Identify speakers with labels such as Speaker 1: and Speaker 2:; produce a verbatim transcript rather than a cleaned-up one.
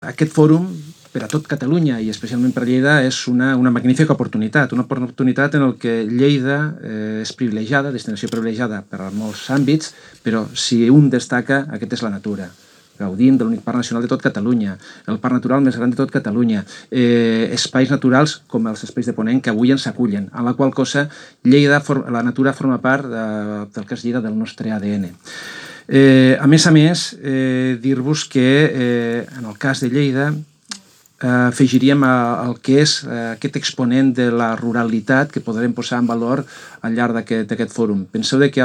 Speaker 1: Aquest fòrum, per a tot Catalunya i especialment per a Lleida, és una, una magnífica oportunitat, una oportunitat en què Lleida eh, és privilegiada, destinació privilegiada per a molts àmbits, però si un destaca, aquest és la natura. Gaudim de l'únic parc nacional de tot Catalunya, el parc natural més gran de tot Catalunya, eh, espais naturals com els espais de Ponent que avui ens acullen, en la qual cosa Lleida, la natura forma part de, del que és Lleida, del nostre A D N. Eh, a més a més, eh, dir-vos que eh, en el cas de Lleida eh, afegiríem el que és eh, aquest exponent de la ruralitat que podrem posar en valor al llarg d'aquest fòrum. Penseu que